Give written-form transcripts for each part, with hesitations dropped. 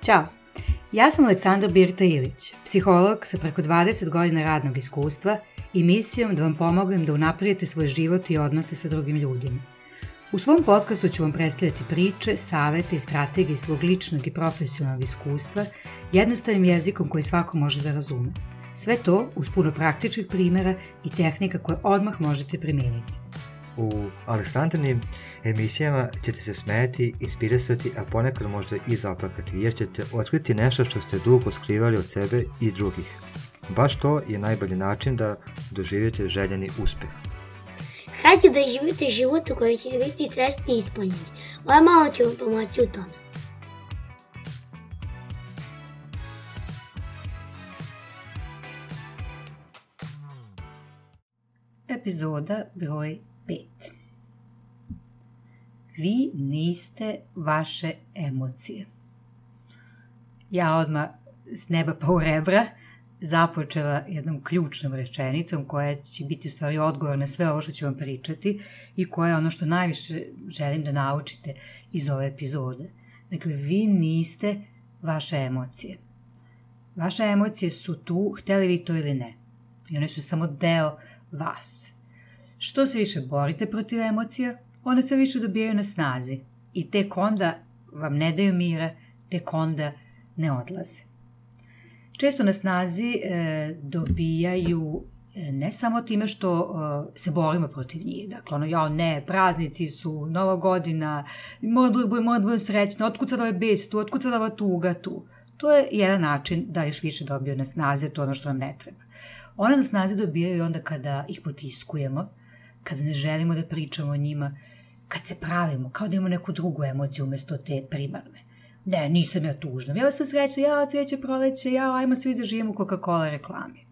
Ćao, ja sam Aleksandra Birta Ilić, psiholog sa preko 20 godina radnog iskustva i misijom da vam pomognem da unaprijedite svoj život i odnose sa drugim ljudima. U svom podcastu ću vam predstavljati priče, savete i strategije svog ličnog i profesionalnog iskustva jednostavnim jezikom koji svako može da razume. Sve to uz puno praktičnih primjera i tehnika koje odmah možete primijeniti. U Aleksandrinim emisijama ćete se smijeti, inspirisati, a ponekad možda i zaplakati, jer ćete otkriti nešto što ste dugo skrivali od sebe i drugih. Baš to je najbolji način da doživite željeni uspjeh. Hajde da živite život u kojem ćete biti srećni i ispunjeni. Moja mama će vam pomoći u tome. Epizoda broj 5. Vi niste vaše emocije. Ja odmah s neba pa u rebra započela jednom ključnom rečenicom koja će biti u stvari odgovor na sve ovo što ću vam pričati i koja je ono što najviše želim da naučite iz ove epizode. Dakle, vi niste vaše emocije. Vaše emocije su tu, htjeli vi to ili ne. I one su samo deo vas. Što se više borite protiv emocija, one sve više dobijaju na snazi i tek onda vam ne daju mira, tek onda ne odlaze. Često na snazi dobijaju ne samo time što se borimo protiv njih. Dakle, praznici su, Nova godina, moram da budem srećna, otkud sad ovaj bes tu, otkud sad ova tuga tu. To je jedan način da još više dobiju na snazi, to je ono što nam ne treba. One na snazi dobijaju onda kada ih potiskujemo, kada ne želimo da pričamo o njima, kad se pravimo, kao da imamo neku drugu emociju umjesto te primarne. Ne, nisam ja tužna, ja sam srećna, ja cvijeće proleće, ajmo svi da živimo u Coca-Cola reklami.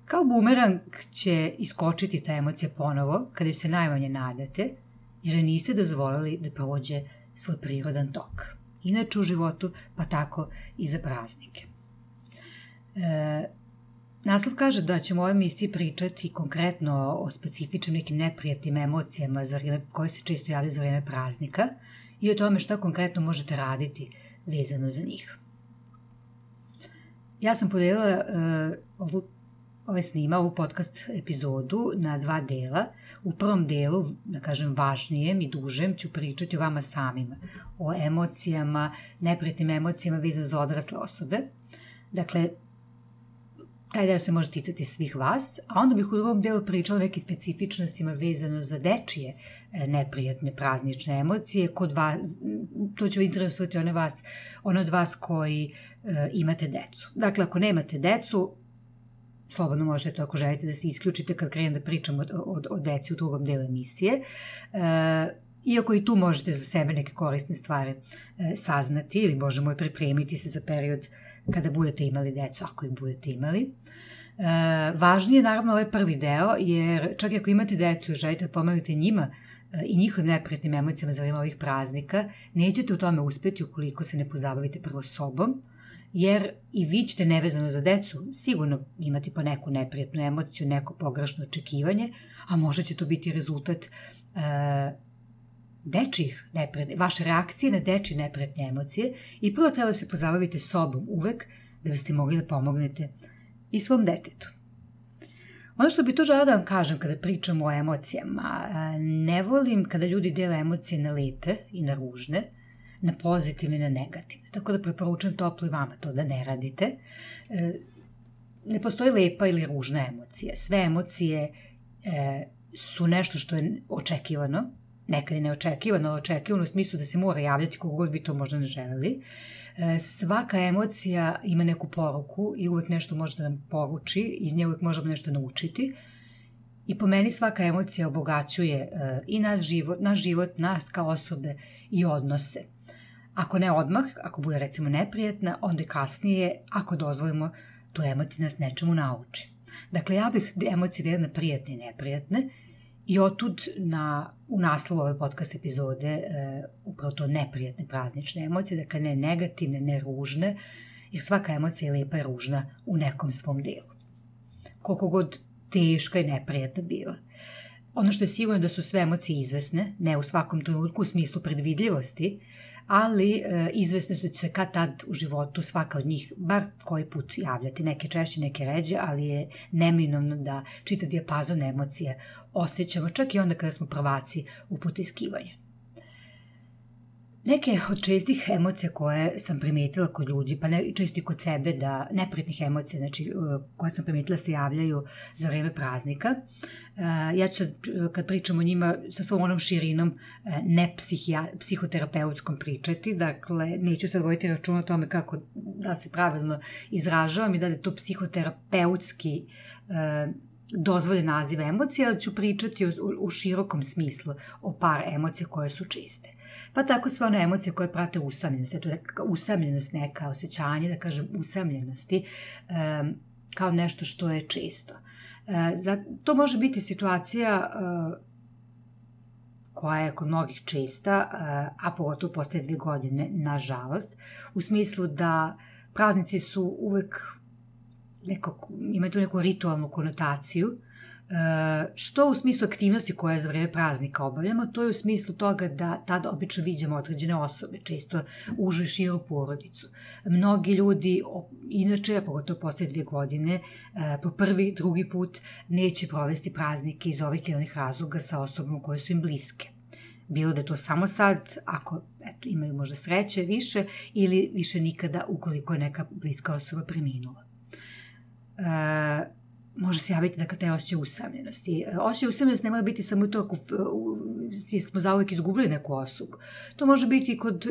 Kao bumerang će iskočiti ta emocija ponovo, kada ju se najmanje nadate, jer joj niste dozvolili da prođe svoj prirodan tok. Inače u životu, pa tako i za praznike. Naslov kaže da ćemo u ovoj emisiji pričati konkretno o specifičnim nekim neprijatnim emocijama koje se često javljaju za vrijeme praznika i o tome šta konkretno možete raditi vezano za njih. Ja sam podijelila ovu podcast epizodu na 2 dela. U prvom delu, da kažem važnijem i dužem, ću pričati o vama samima, o emocijama, neprijatnim emocijama vezano za odrasle osobe. Dakle, taj deo se može ticati svih vas, a onda bih u drugom delu pričala o nekim specifičnostima vezano za dečije neprijatne praznične emocije. Kod vas, to će interesovati one od vas koji imate decu. Dakle, ako nemate decu, slobodno možete to ako želite da se isključite kad krenem da pričam o deci u drugom delu emisije. Iako i tu možete za sebe neke korisne stvari saznati ili, Bože moj, pripremiti se za period kada budete imali decu, ako ih budete imali. Važnije je naravno ovaj prvi deo, jer čak i ako imate decu i želite da pomognete njima i njihovim neprijatnim emocijama za vrijeme ovih praznika, nećete u tome uspjeti ukoliko se ne pozabavite prvo sobom, jer i vi ćete nevezano za decu sigurno imati po neku neprijatnu emociju, neko pogrešno očekivanje, a možda će to biti rezultat vaše reakcije na dečije neprijatne emocije i prvo treba da se pozabavite sobom uvek da biste mogli da pomognete i svom detetu. Ono što bi to žela da vam kažem kada pričamo o emocijama, ne volim kada ljudi dele emocije na lepe i na ružne, na pozitivne i na negativne. Tako da preporučujem toplo i vama to da ne radite. Ne postoji lepa ili ružna emocija. Sve emocije su nešto što je očekivano, nekad je neočekivano, ali očekivano u smislu da se mora javljati koliko god vi to možda ne želeli. Svaka emocija ima neku poruku i uvijek nešto može da nam poruči, iz nje uvijek možemo nešto naučiti. I po meni svaka emocija obogaćuje i naš život, nas kao osobe i odnose. Ako ne odmah, ako bude recimo neprijatna, onda kasnije, ako dozvolimo, tu emociju nas nečemu nauči. Dakle, ja bih emocije delila na prijatne i neprijatne i otud u naslovu ove podcast epizode upravo to neprijatne praznične emocije, dakle ne negativne, ne ružne, jer svaka emocija je lepa i ružna u nekom svom delu. Koliko god teška i neprijatna bila. Ono što je sigurno da su sve emocije izvesne, ne u svakom trenutku u smislu predvidljivosti, ali izvesno su se kad tad u životu svaka od njih bar koji put javljati, neke češće, neke ređe, ali je neminovno da čitav dijapazon emocija osjećamo čak i onda kada smo prvaci u potiskivanju. Neke od čestih emocija koje sam primetila kod ljudi, pa često i kod sebe, da neprijatnih emocija, znači koje sam primetila se javljaju za vreme praznika. Ja ću kad pričam o njima sa svom onom širinom psihoterapeutskom pričati, dakle neću sad voditi račun o tome kako da se pravilno izražavam i da je to psihoterapeutski dozvoljen naziv emocija, ali ću pričati u širokom smislu o par emocija koje su čiste. Pa tako sve one emocije koje prate usamljenost, usamljenost neka osjećanje, da kažem usamljenosti, kao nešto što je često. To može biti situacija koja je kod mnogih česta, a pogotovo posle 2 godine, nažalost, u smislu da praznici su uvek imaju tu neku ritualnu konotaciju, što u smislu aktivnosti koje za vreme praznika obavljamo, to je u smislu toga da tada obično viđamo određene osobe, često užu i širu porodicu. Mnogi ljudi, inače, pogotovo posle 2 godine, po prvi, drugi put neće provesti praznike iz ovih ili onih razloga sa osobom koje su im bliske. Bilo da je to samo sad, ako imaju možda sreće više, ili više nikada ukoliko je neka bliska osoba preminula. Može se javiti da kada je osjećaj usamljenosti. Osjećaj usamljenosti ne mora biti samo to ako smo zauvijek izgubili neku osobu. To može biti i kod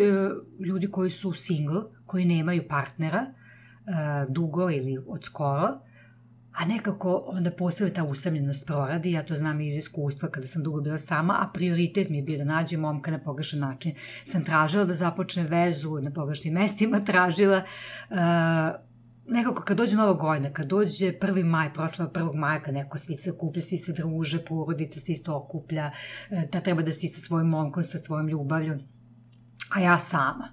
ljudi koji su single, koji nemaju partnera dugo ili od skoro, a nekako onda posebno ta usamljenost proradi. Ja to znam iz iskustva kada sam dugo bila sama, a prioritet mi je bio da nađem momka na pogrešan način. Sam tražila da započne vezu, na pogrešnim mestima tražila. Nekako kad dođe Nova godina, kad dođe 1. maj, proslava 1. maja, kad neko svi se okuplja, svi se druže, porodica se isto okuplja, da treba da si sa svojim momkom, sa svojom ljubavlju, a ja sama.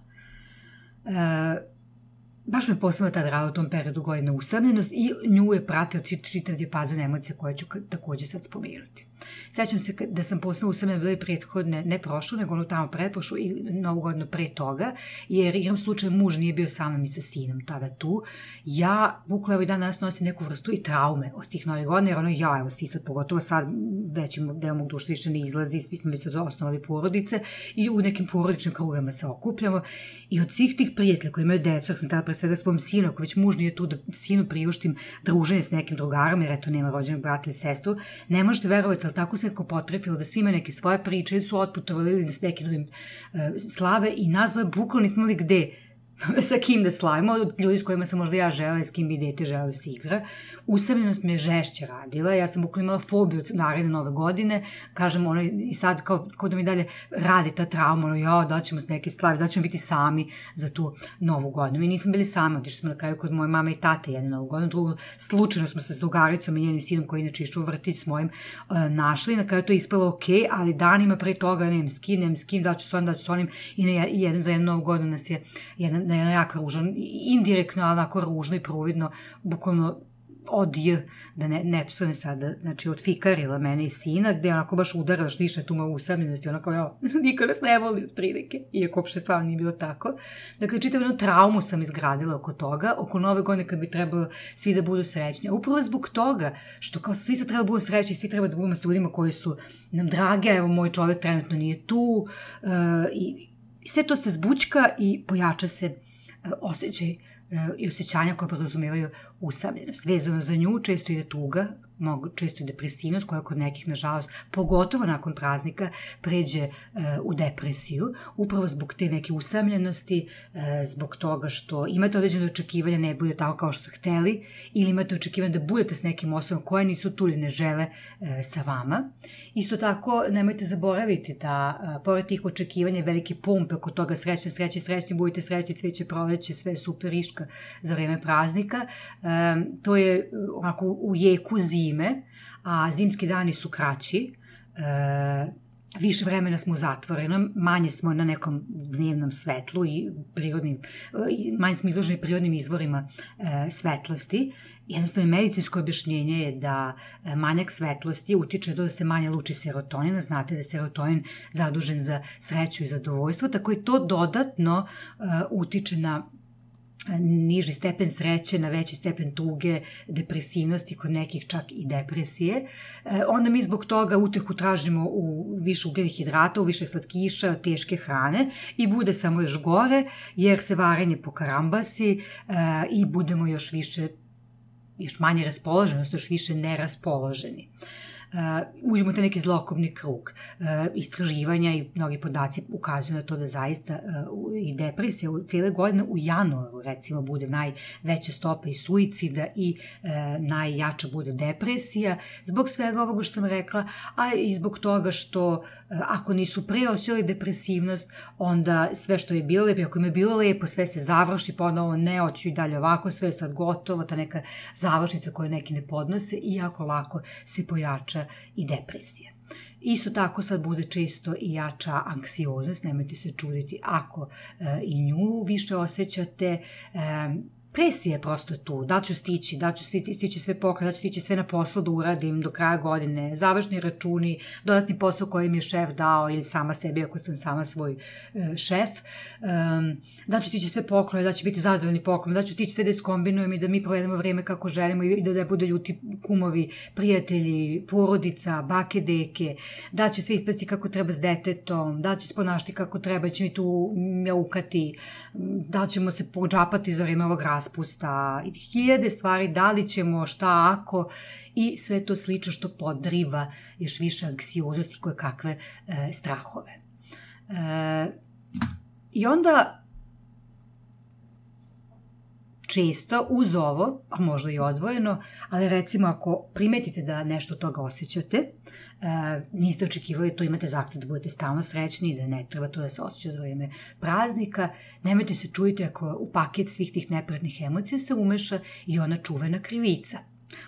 Baš me posebno tada radila u tom periodu godina usamljenost i nju je pratila čitav dijapazon emocija koje ću takođe sad spomenuti. Sećam se da sam posebno usamljena bila i prethodne, ne prošlu, nego ono tamo pretprošlu i Novu godinu pre toga, jer igram slučaj muž nije bio sa mnom i sa sinom tada tu. Ja, bukvalno ovaj dan danas nosim neku vrstu i traume od tih Novih godina, jer evo svi sad, pogotovo sad, većim deo mog društva više ne izlazi, svi smo već osnovali porodice i u nekim porodičnim krugama se okupljamo i od svih tih prijatelja koji imaju decu, sam tada pre svega svom sinu, ako već muž nije tu da sinu priuštim druženje s nekim drugarom, jer eto nema rođenog brata ili sestru, ne možete verovati, ali tako se neko potrefilo da svi imaju neke svoje priče ili su otputovali ili s nekim drugim slave i nazvao je bukvalno nismo li gde sa kim da slavimo, od ljudi s kojima sam možda ja žela i s kim bi dete žela da se igra. Usamljenost me je žešće radila, ja sam bukvalno imala fobiju od naredne Nove godine, kažem, i sad kao da mi dalje radi ta trauma, da ćemo s neke slavi, da ćemo biti sami za tu Novu godinu. Mi nismo bili sami, otišli smo na kraju kod moje mame i tate jednu Novu godinu, drugo, slučajno smo se s drugaricom i njenim sinom koji inače išao u vrtić s mojim našli, na kraju to je ispalo ok, ali danima pre toga nemam s kim, da ću s onim i jedan za jednu Novu godinu nas je na jedan jako ružan, indirektno, ali onako ružno i providno, bukvalno da ne psujem sada, znači odfikarila mene i sina, gde je onako baš udarila štiša tu moju usamljenost i onako, niko nas ne voli od prilike, iako uopšte stvarno nije bilo tako. Dakle, čitav jednu traumu sam izgradila oko toga, oko Nove godine kad bi trebalo svi da budu srećni. A upravo zbog toga, što kao svi se treba da budu srećni, svi treba da budemo s ljudima koji su nam drage, evo moj čovjek trenutno nije tu, i sve to se zbućka i pojača se osjećaj i osjećanja koje podrazumevaju usamljenost. Vezano za nju često ide tuga, često i depresivnost koja kod nekih, nažalost, pogotovo nakon praznika, pređe u depresiju, upravo zbog te neke usamljenosti, zbog toga što imate određene očekivanja, ne bude tako kao što ste hteli, ili imate očekivanja da budete s nekim osobom koje nisu tu ili ne žele sa vama. Isto tako, nemojte zaboraviti da, pored tih očekivanja, velike pumpe oko toga srećni, budite srećni, cveće proleće, sve super iška za vreme praznika, to je onako u jeku zime, a zimski dani su kraći, više vremena smo u zatvorenom, manje smo na nekom dnevnom svetlu i manje smo izloženi prirodnim izvorima svetlosti. Jednostavno, medicinsko objašnjenje je da manjak svetlosti utiče da se manje luči serotonina. Znate da je serotonin zadužen za sreću i zadovoljstvo, tako i to dodatno utiče na niži stepen sreće, na veći stepen tuge, depresivnosti, kod nekih čak i depresije. Onda mi zbog toga utehu tražimo u više ugljenih hidrata, u više slatkiša, teške hrane i bude samo još gore, jer se varenje pokarambasi i budemo još manje raspoloženi, odnosno još više neraspoloženi. Uđemo u taj neki zlokobni krug. Istraživanja i mnogi podaci ukazuju na to da zaista i depresija cijele godine u januaru recimo bude najveća stopa i suicida i najjača bude depresija zbog svega ovoga što sam rekla, a i zbog toga što ako nisu pre osjećali depresivnost, onda sve što je bilo lepo, ako im je bilo lepo, sve se završi, ponovo ne, hoću i dalje ovako, sve je sad gotovo, ta neka završnica koju neki ne podnose i jako lako se pojača i depresija. Isto tako sad bude često i jača anksioznost, nemojte se čuditi ako i nju više osjećate. Presija je prosto tu, da ću stići sve pokraj, da ću stići sve na poslu da uradim do kraja godine, završni računi, dodatni posao koji mi je šef dao ili sama sebi ako sam sama svoj šef, da ću stići sve pokraj, da ću biti zadovoljni pokraj, da ću stići sve da iskombinujem i da mi provedemo vreme kako želimo i da ne bude ljuti kumovi, prijatelji, porodica, bake, deke, da će sve ispasti kako treba s detetom, da će se ponašati kako treba, će mi tu mjaukati, da ćemo se pođapati za vreme ovog raspusta i hiljade stvari, da li ćemo, šta ako, i sve to slično što podriva još više anksioznosti koje kakve strahove. I onda često uz ovo, a možda i odvojeno, ali recimo ako primetite da nešto od toga osjećate, niste očekivali to, imate zahtev da budete stalno srećni, da ne treba to da se osjeća za vreme praznika, nemojte se čuditi ako u paket svih tih neprijatnih emocija se umeša i ona čuvena krivica.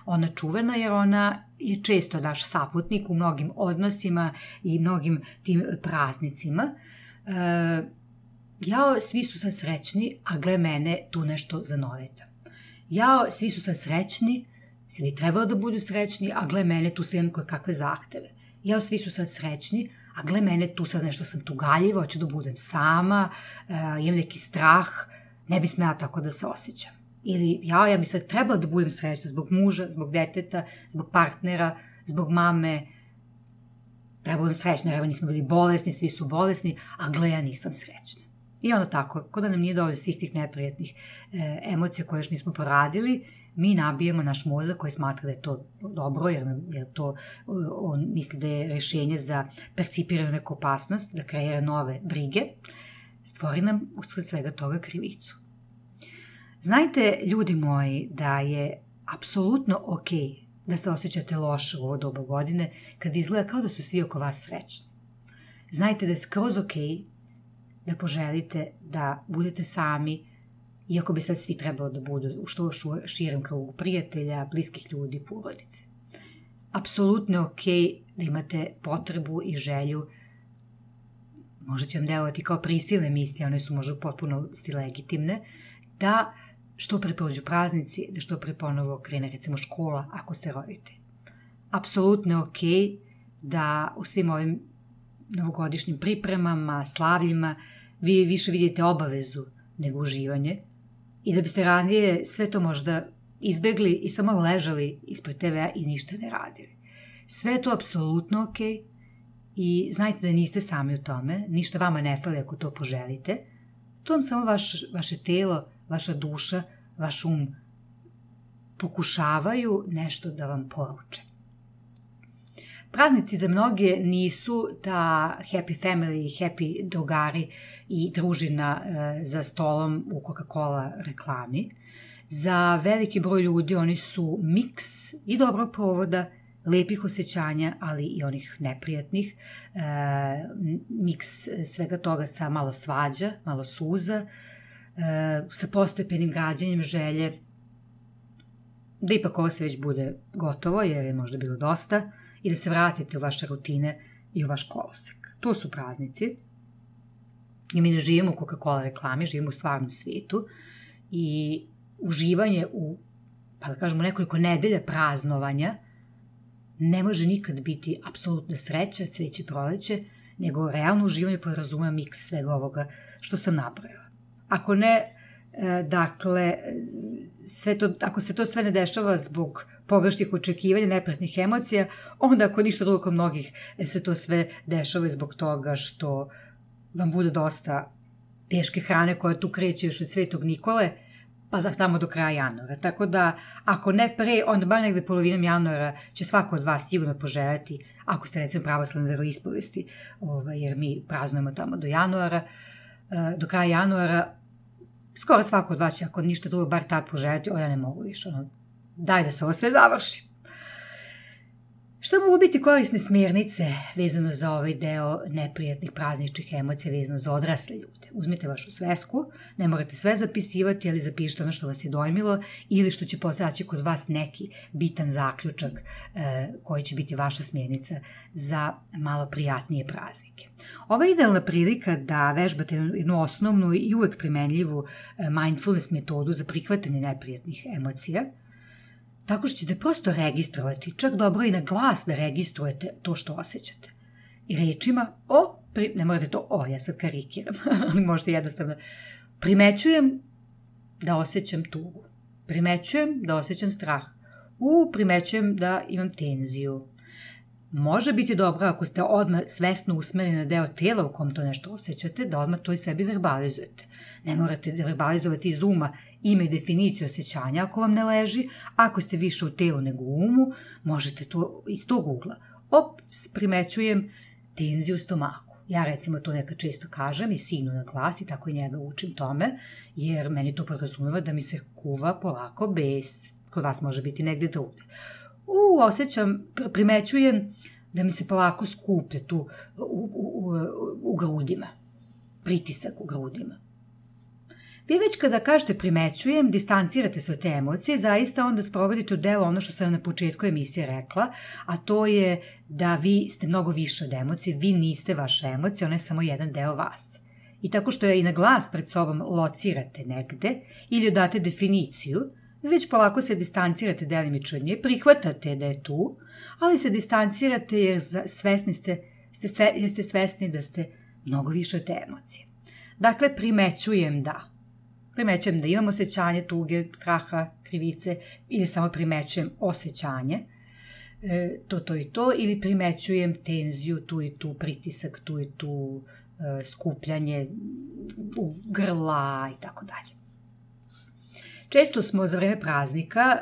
Ona čuvena jer ona je često naš saputnik u mnogim odnosima i mnogim tim praznicima. Jao, svi su sad srećni, a gle mene, tu nešto zanoveta. Jao, svi su sad srećni, svi bi trebalo da budu srećni, a gle mene, tu imam koje kakve zahteve. Jao, svi su sad srećni, a gle mene, tu sad nešto sam tugaljiva, hoću da budem sama, imam neki strah, ne bi smela tako da se osjećam. Ili, ja bi sad trebala da budem srećna zbog muža, zbog deteta, zbog partnera, zbog mame, treba budem srećna, jer evo nismo bili bolesni, svi su bolesni, a gle, ja nisam srećna. I onda tako, kod da nam nije dovoljno svih tih neprijatnih emocija koje još nismo poradili, mi nabijemo naš mozak koji smatra da je to dobro, jer to on misli da je rešenje za percipiranu neku opasnost, da kreira nove brige, stvori nam usled svega toga krivicu. Znajte, ljudi moji, da je apsolutno okej da se osjećate loše u ovo doba godine kad izgleda kao da su svi oko vas srećni. Znajte da je skroz okej da poželite da budete sami, iako bi sad svi trebalo da budu u što širem krugu prijatelja, bliskih ljudi, porodice. Apsolutno je okej da imate potrebu i želju, možda će vam delovati kao prisilne misli, one su možda potpuno legitimne, da što pre prođu praznici, da što pre ponovo krene recimo škola ako ste roditelj. Apsolutno je okej da u svim ovim novogodišnjim pripremama, slavljima, vi više vidite obavezu nego uživanje i da biste ranije sve to možda izbegli i samo ležali ispred TV-a i ništa ne radili. Sve je to apsolutno okej i znajte da niste sami u tome, ništa vama ne fali ako to poželite, to vam samo vaše telo, vaša duša, vaš um pokušavaju nešto da vam poruče. Praznici za mnoge nisu ta happy family, happy drugari i družina za stolom u Coca-Cola reklami. Za veliki broj ljudi oni su miks i dobrog provoda, lepih osjećanja, ali i onih neprijatnih. Miks svega toga sa malo svađa, malo suza, sa postepenim građanjem želje da ipak ovo sve već bude gotovo, jer je možda bilo dosta, i da se vratite u vaše rutine i u vaš kolosek. To su praznici. I mi ne živimo u Coca-Cola reklami, živimo u stvarnom svijetu i uživanje u, pa da kažemo, nekoliko nedelja praznovanja ne može nikad biti apsolutna sreća, cveće, proleće, nego realno uživanje podrazumeva miks svega ovoga što sam nabrojala. Ako ne, dakle, ako se to sve ne dešava zbog pogrešnih očekivanja, neprijatnih emocija, onda ako ništa drugo kod mnogih se to sve dešava zbog toga što vam bude dosta teške hrane koja tu kreće još od Svetog Nikole, pa da tamo do kraja januara. Tako da, ako ne pre, onda bar negde polovinom januara će svako od vas sigurno poželjeti, ako ste recimo pravoslavne veroispovesti, jer mi praznujemo tamo do januara, do kraja januara, skoro svako od vas će, ako ništa drugo, bar tad poželjeti, ja ne mogu više, daj da se ovo sve završi. Šta mogu biti korisne smjernice vezano za ovaj deo neprijatnih prazničnih emocija vezano za odrasle ljude? Uzmite vašu svesku, ne morate sve zapisivati, ali zapišite ono što vas je dojmilo ili što će postaći kod vas neki bitan zaključak koji će biti vaša smjernica za malo prijatnije praznike. Ova je idealna prilika da vežbate jednu osnovnu i uvek primenljivu mindfulness metodu za prihvatanje neprijatnih emocija, tako što ćete prosto registrovati, čak dobro i na glas da registrujete to što osjećate. I rečima ne morate to ja sad karikiram, ali možete jednostavno, primećujem da osjećam tugu, primećujem da osjećam strah, primećujem da imam tenziju. Može biti dobro ako ste odmah svesno usmereni na deo tela u kom to nešto osjećate, da odmah to i sebi verbalizujete. Ne morate da verbalizovati iz uma ime i definiciju osjećanja ako vam ne leži. Ako ste više u telu nego u umu, možete to iz tog ugla. Primećujem tenziju u stomaku. Ja recimo to nekad često kažem i sinu na glas i tako i njega učim tome, jer meni to podrazumeva da mi se kuva polako bes. Kod vas može biti negde drugde. Primećujem da mi se polako skuplja tu u grudima. Pritisak u grudima. Vi već kada kažete primećujem, distancirate se od te emocije, zaista onda sprovodite u delo ono što sam na početku emisije rekla, a to je da vi ste mnogo više od emocije, vi niste vaša emocija, ona je samo jedan deo vas. I tako što je i na glas pred sobom locirate negde ili date definiciju, vi već polako se distancirate delimično od nje, prihvatate da je tu, ali se distancirate jer ste svesni da ste mnogo više od te emocije. Dakle, primećujem da imam osjećanje tuge, straha, krivice ili samo primećujem osjećanje, to i to, ili primećujem tenziju, tu i tu, pritisak, tu i tu, skupljanje u grla i tako dalje. Često smo za vreme praznika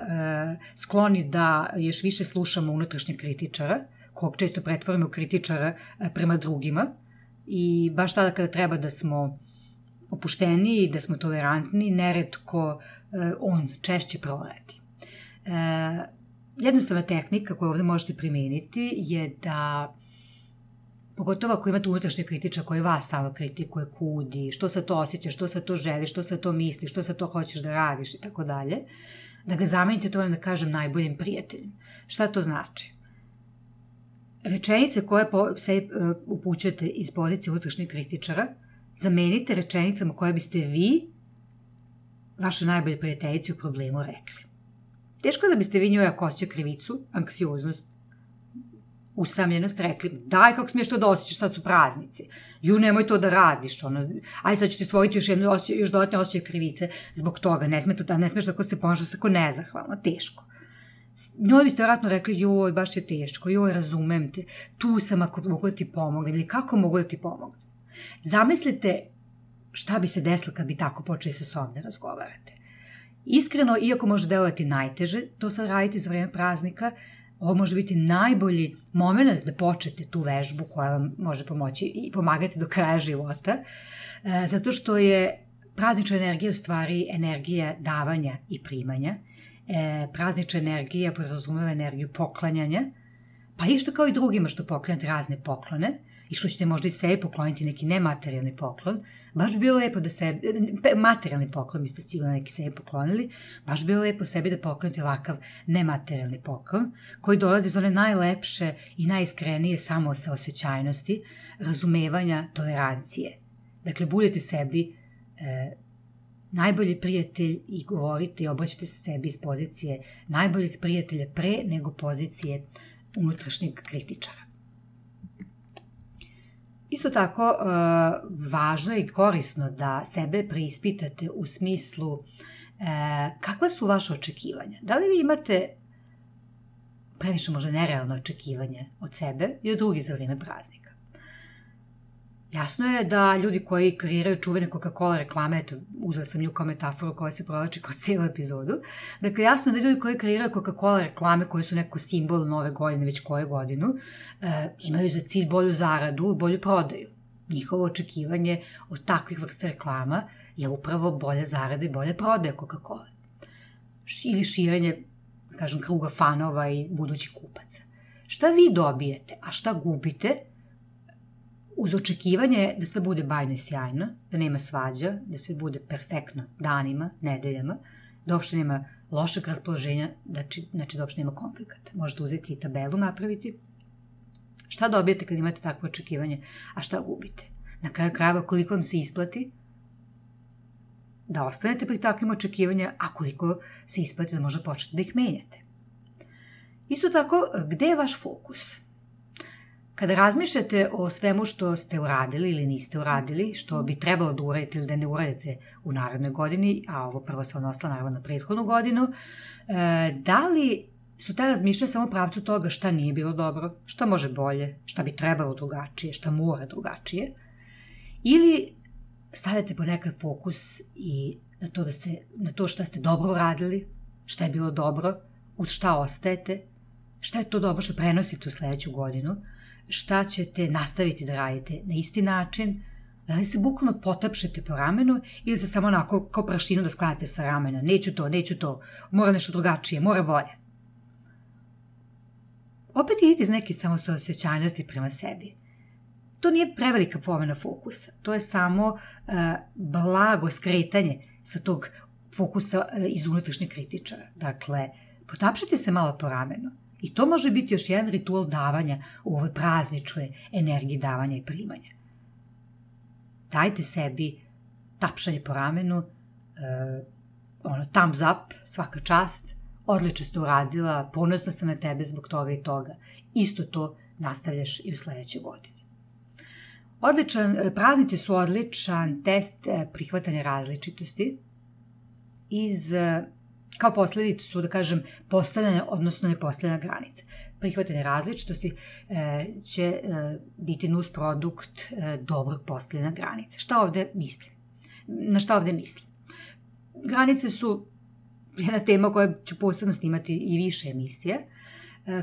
skloni da još više slušamo unutrašnjeg kritičara, kog često pretvorimo u kritičara prema drugima i baš tada kada treba da smo opušteniji, da smo tolerantni, neretko on češće proradi. Jednostavna tehnika koju ovdje možete primijeniti je da, pogotovo ako imate unutrašnje kritiča koji vas stalno kritikuje, kudi, što sad to osjećaš, što sad to želiš, što sad to misliš, što sad to hoćeš da radiš i tako dalje, da ga zamenite to, da kažem, najboljim prijateljem. Šta to znači? Rečenice koje se upućujete iz pozicije unutrašnjeg kritičara zamenite rečenicama koje biste vi, vaša najbolja prijateljica u problemu, rekli. Teško da biste vi njoj, ako osjeća krivicu, anksioznost, usamljenost, rekli, daj kako smiješ to da osjećaš, sad su praznici, nemoj to da radiš, aj sad ću ti stvoriti još dodatne osjećaje krivice zbog toga, ne smiješ tako se ponašati, tako nezahvalno, teško. Njoj biste vjerojatno rekli, baš je teško, razumem te, tu sam ako mogu da ti pomognem, ili kako mogu da ti pomognem. Zamislite šta bi se desilo kad bi tako počeli sa sobom da razgovarate. Iskreno, iako može delovati najteže, to sad radite za vreme praznika, ovo može biti najbolji moment da počnete tu vežbu koja vam može pomoći i pomagati do kraja života, zato što je praznična energija u stvari energija davanja i primanja. Praznična energija podrazumeva energiju poklanjanja, pa isto kao i drugima što poklanjate razne poklone, i što ćete možda i sebi pokloniti neki nematerijalni poklon, baš bi bilo lepo da sebi, materijalni poklon biste sigurno neki sebi poklonili, baš bi bilo lepo sebi da poklonite ovakav nematerijalni poklon, koji dolazi iz one najlepše i najiskrenije samosaosećajnosti, razumevanja, tolerancije. Dakle, budete sebi najbolji prijatelj i govorite i obraćate se sebi iz pozicije najboljeg prijatelja pre nego pozicije unutrašnjeg kritičara. Isto tako, važno je i korisno da sebe preispitate u smislu kakva su vaše očekivanja. Da li vi imate previše možda nerealno očekivanje od sebe i od drugih za vrijeme praznika? Jasno je da ljudi koji kreiraju čuvene Coca-Cola reklame, eto, uzela sam nju kao metaforu koja se provlači kroz cijelu epizodu, dakle, jasno je da ljudi koji kreiraju Coca-Cola reklame koje su neko simbol nove godine, već koju godinu, imaju za cilj bolju zaradu, bolju prodaju. Njihovo očekivanje od takvih vrsta reklama je upravo bolja zarada i bolja prodaja Coca-Cola. Ili širenje, kažem, kruga fanova i budućih kupaca. Šta vi dobijete, a šta gubite uz očekivanje da sve bude bajno i sjajno, da nema svađa, da sve bude perfektno danima, nedeljama, da uopšte nema lošeg raspoloženja, znači da uopšte nema konflikata. Možete uzeti i tabelu napraviti. Šta dobijete kad imate takvo očekivanje, a šta gubite? Na kraju krajeva koliko vam se isplati da ostanete pri takvim očekivanja, a koliko se isplati da možda počnete da ih menjate. Isto tako, gde je vaš fokus? Kada razmišljate o svemu što ste uradili ili niste uradili, što bi trebalo da uradite ili da ne uradite u narednoj godini, a ovo prvo se odnosilo naravno na prethodnu godinu, da li su ta razmišljanja samo u pravcu toga šta nije bilo dobro, šta može bolje, šta bi trebalo drugačije, šta mora drugačije, ili stavljate ponekad fokus i na to šta ste dobro uradili, šta je bilo dobro, uz šta ostajete, šta je to dobro što prenosite u sledeću godinu, šta ćete nastaviti da radite na isti način, da li se bukvalno potapšete po ramenu ili se samo onako kao prašinu da sklanjate sa ramena, neću to, mora nešto drugačije, mora bolje. Opet idite iz neke samosaosećajnosti prema sebi. To nije prevelika promena fokusa, to je samo blago skretanje sa tog fokusa iz unutrašnjeg kritičara. Dakle, potapšite se malo po ramenu. I to može biti još jedan ritual davanja u ovoj prazničnoj energiji davanja i primanja. Dajte sebi tapšanje po ramenu, thumbs up, svaka čast, odlično ste uradila, ponosna sam na tebe zbog toga i toga. Isto to nastavljaš i u sledećoj godini. Praznici su odličan test prihvatanja različitosti kao posledicu su, da kažem, postavljene, odnosno nepostavljena granica. Prihvatanje različitosti će biti nus produkt dobrog postavljena granica. Na šta ovde mislim? Granice su jedna tema koja ću posebno snimati i više emisije.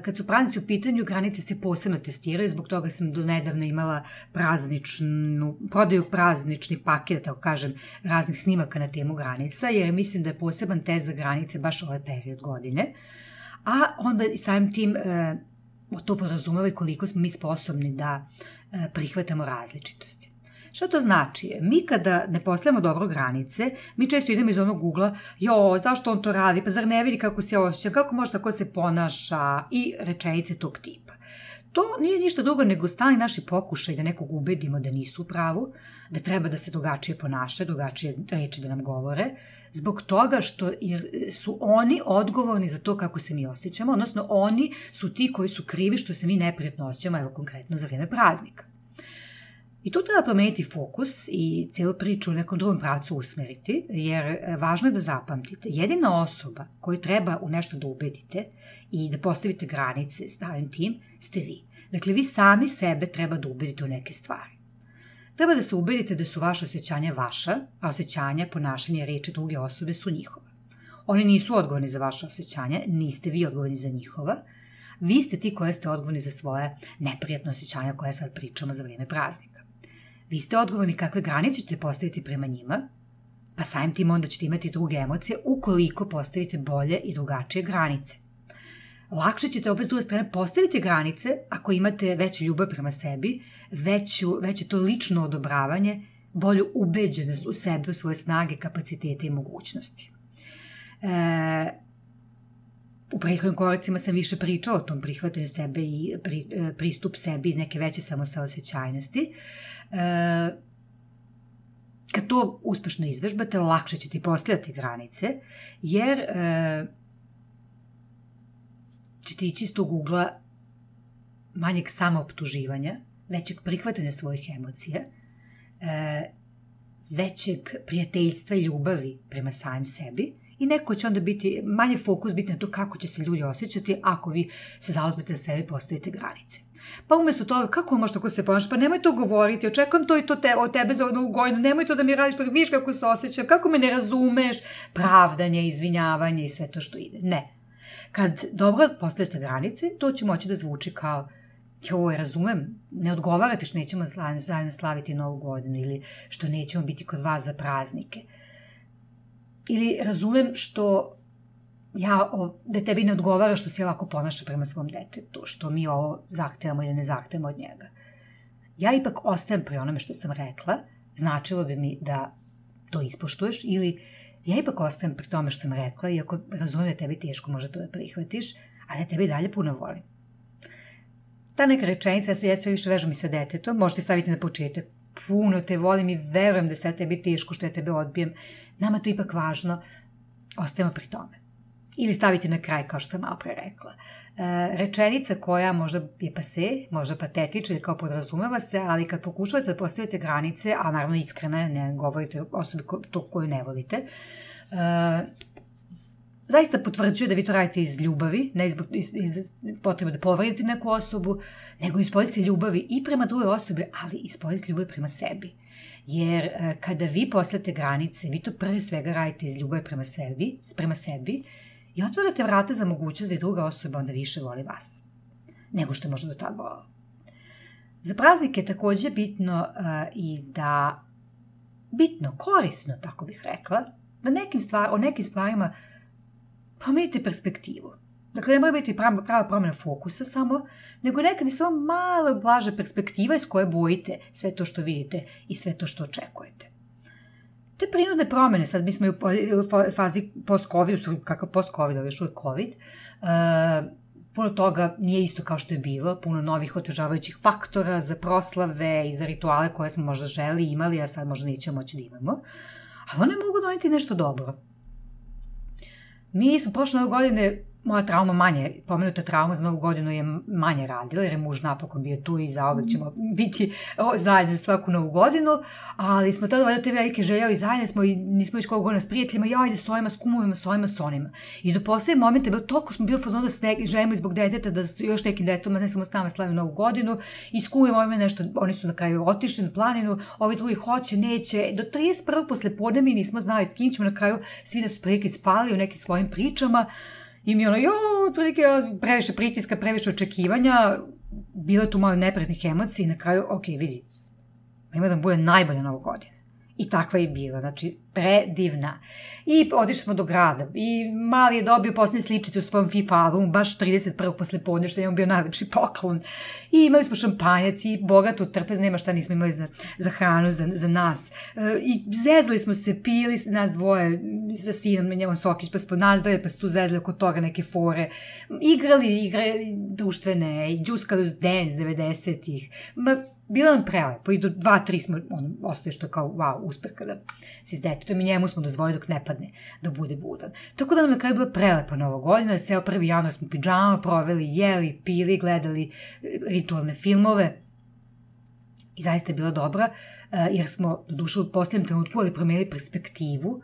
Kad su praznici u pitanju, granice se posebno testiraju, zbog toga sam do nedavno imala prodaju praznični paket, tako kažem, raznih snimaka na temu granica, jer mislim da je poseban test za granice baš ovaj period godine, a onda i samim tim to podrazumeva i koliko smo mi sposobni da prihvatamo različitosti. Šta to znači? Mi kada ne postavljamo dobro granice, mi često idemo iz onog ugla, zašto on to radi, pa zar ne vidi kako se osjeća, kako može tako se ponaša i rečenice tog tipa. To nije ništa drugo nego stalni naši pokušaj da nekog ubedimo da nisu u pravu, da treba da se drugačije ponaša, drugačije reči da nam govore, zbog toga što su oni odgovorni za to kako se mi osjećamo, odnosno oni su ti koji su krivi što se mi neprijatno osjećamo, evo konkretno za vrijeme praznika. I tu treba promeniti fokus i cijelu priču u nekom drugom pravcu usmeriti, jer važno je da zapamtite, jedina osoba koju treba u nešto da ubedite i da postavite granice stavim tim, ste vi. Dakle, vi sami sebe treba da ubedite u neke stvari. Treba da se ubedite da su vaše osjećanja vaša, a osjećanja, ponašanja i reči druge osobe su njihova. Oni nisu odgovorni za vaše osjećanja, niste vi odgovorni za njihova. Vi ste ti koji ste odgovorni za svoje neprijatno osjećanja koje sad pričamo za vrijeme praznika. Vi ste odgovorni kakve granice ćete postaviti prema njima, pa samim tim onda ćete imati druge emocije ukoliko postavite bolje i drugačije granice. lakše ćete opet s druge strane postaviti granice ako imate veću ljubav prema sebi, veće to lično odobravanje, bolju ubeđenost u sebe, u svoje snage, kapacitete i mogućnosti. U prethodnim koracima sam više pričala o tom prihvatanju sebe i pristup sebi iz neke veće samosaosećajnosti. Kad to uspešno izvežbate, lakše ćete postavljati granice, jer ćete ići iz tog ugla manjeg samooptuživanja, većeg prihvatanja svojih emocija, većeg prijateljstva i ljubavi prema samim sebi i neko će onda biti, manje fokus biti na to kako će se ljudi osjećati ako vi se zauzmete za sebe i postavite granice. Pa umjesto toga, kako možeš tako se ponašati? Pa nemoj to govoriti, očekujem to i to od tebe za Novu godinu, nemoj to da mi radiš, pa vidiš kako se osjećam, kako me ne razumeš, pravdanje, izvinjavanje i sve to što ide. Ne. Kad dobro postavite granice, to će moći da zvuči kao joj, razumem, ne odgovarate što nećemo zajedno slaviti Novu godinu ili što nećemo biti kod vas za praznike. Ili razumem što da tebi ne odgovara što se ovako ponaša prema svom detetu, što mi ovo zahtevamo ili ne zahtevamo od njega. Ja ipak ostajem pri onome što sam rekla, značilo bi mi da to ispoštuješ, ili ja ipak ostajem pri tome što sam rekla, iako razumem da tebi teško možda to da prihvatiš, a da tebi dalje puno volim. Ta neka rečenica, ja sve više vežem i sa detetom, možete staviti na početak, puno te volim i verujem da sad tebi teško što ja tebe odbijem, nama to ipak važno, ostajemo pri tome. Ili staviti na kraj, kao što sam malo pre rekla. Rečenica koja možda je pase, možda patetična ili kao podrazumeva se, ali kad pokušavate da postavite granice, a naravno iskreno ne govorite o osobi koju ne volite, zaista potvrđuje da vi to radite iz ljubavi, ne iz potrebe da povredite neku osobu, nego iz pozicije ljubavi i prema drugoj osobi, ali iz pozicije ljubavi prema sebi. Jer kada vi postavite granice, vi to prve svega radite iz ljubavi prema sebi i otvarate vrata za mogućnost da i druga osoba onda više voli vas, nego što je možda do tada volala. Za praznike je također bitno i da, korisno, tako bih rekla, da o nekim stvarima promenite perspektivu. Dakle, ne mora biti prava promjena fokusa samo, nego nekad i samo malo blaže perspektiva iz koje bojite sve to što vidite i sve to što očekujete. Te prinudne promjene, sad mi smo u fazi post-covid, kakav post-covid, još uvijek covid, puno toga nije isto kao što je bilo, puno novih otežavajućih faktora za proslave i za rituale koje smo možda želi imali, a sad možda nećemo moći da imamo, ali one mogu doneti nešto dobro. Mi smo prošle Nove godine, moja trauma manje, pomenuta trauma za Novu godinu je manje radila, jer je muž napokon bio tu i zauvek ćemo biti zajedno svaku Novu godinu, ali smo tada valjda te velike željeli i zajedno smo i nismo već koliko godina s prijateljima, ajde s ovima, s kumovima, s ovima, s onima. I do posljednje momente, toliko smo bili fazonu da se želimo zbog deteta, da još nekim detetama, ne samo s nama slavimo Novu godinu, i s kumovima ovima nešto, oni su na kraju otišli na planinu, ovi drugi hoće, neće. Do 31. posle podne mi nismo znali s kim ćemo, na kraju svi da su prilike spali u nekim svojim pričama. I mi otprilike previše pritiska, previše očekivanja, bilo je tu malo neprijatnih emocija i na kraju, vidi, ima da bude najbolja Nova godina. I takva je bila, znači predivna. I otišli smo do grada i mali je dobio posljednje sličice u svom FIFA albumu, baš 31. posle podne, što je on bio najlepši poklon. I imali smo šampanjac i bogatu trpezu, nema šta nismo imali za hranu, za nas. I zezli smo se, pili nas dvoje sa sinom, njemom Sokić, pa smo nazdali, pa se tu zezli oko toga neke fore. Igrali igre društvene, i džuskali uz dance 90-ih. Bilo nam prelepo i do 2-3 smo, ostaje što kao wow, uspeh kada si s detetom i njemu smo dozvolili dok ne padne da bude budan. Tako da nam na kraju bila prelepa Nova godina, ceo 1. januar smo pidžama proveli, jeli, pili, gledali ritualne filmove i zaista je bila dobra, jer smo doduše u posljednjem trenutku ali promenili perspektivu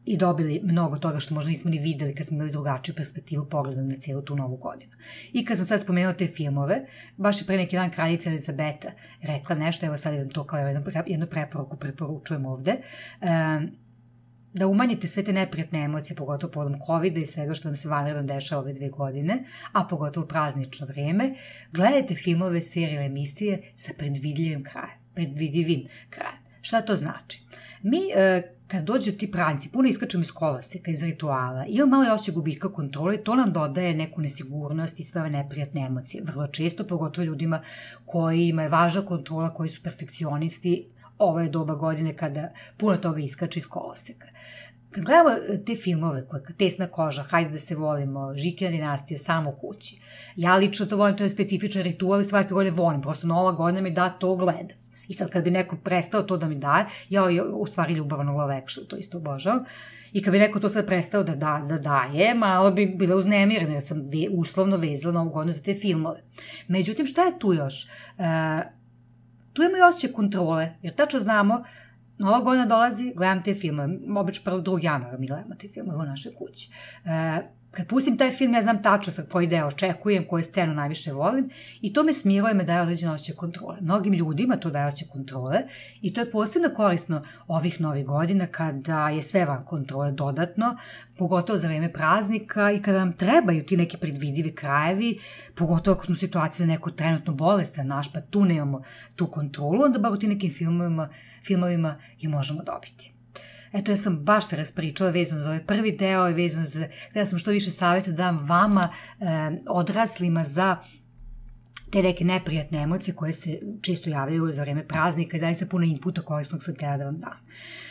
i dobili mnogo toga što možda nismo ni videli kad smo imali drugačiju perspektivu pogleda na cijelu tu Novu godinu. I kad sam sad spomenula te filmove, baš je pre neki dan kraljica Elizabeta rekla nešto, evo sad to kao jednu preporuku preporučujem ovde, da umanjite sve te neprijatne emocije, pogotovo povodom COVID-a i svega što nam se vanredno dešava ove 2 godine, a pogotovo praznično vreme, gledajte filmove, serije, emisije sa predvidljivim krajem. Šta to znači? Mi, kad dođu ti praznici, puno iskačemo iz koloseka, iz rituala, imamo malo osjećaj gubitka kontrole, to nam dodaje neku nesigurnost i sve ove neprijatne emocije. Vrlo često, pogotovo ljudima kojima je važna kontrola, koji su perfekcionisti, ovo je doba godine kada puno toga iskače iz koloseka. Kad gledamo te filmove, Tesna koža, Hajde da se volimo, Žikina dinastija, Samo kući, ja lično to volim, to je specifičan ritual i svake godine volim, prosto Nova godina mi da to gledam. I sad kad bi neko prestao to da mi daje, ja u stvari ljubavno love action, to isto obožavam, i kad bi neko to sad prestao da daje, malo bi bila uznemirena, jer sam uslovno vezala Novu godinu za te filmove. Međutim, šta je tu još? Tu imamo i osjećaj kontrole, jer tačno znamo, Nova godina dolazi, gledam te filmove, obično 1. 2. januara mi gledamo te filmove u našoj kući. Kad pustim taj film, ja znam tačno sa koji deo očekujem, koju scenu najviše volim i to me smiruje, me daje određeno osjećaj kontrole. Mnogim ljudima to daje osjećaj kontrole i to je posebno korisno ovih novih godina kada je sve van kontrole dodatno, pogotovo za vreme praznika i kada nam trebaju ti neki predvidivi krajevi, pogotovo ako smo u situaciji da neko trenutno bolestan naš, pa tu nemamo tu kontrolu, onda bar u ti nekim filmovima je možemo dobiti. Eto, ja sam baš te raspričala vezano za ovaj prvi deo i vezano za, htjela sam što više savjeta da dam vama, odraslima, za te neke neprijatne emocije koje se često javljaju za vreme praznika i zaista puno inputa korisnog sam htjela da vam dam.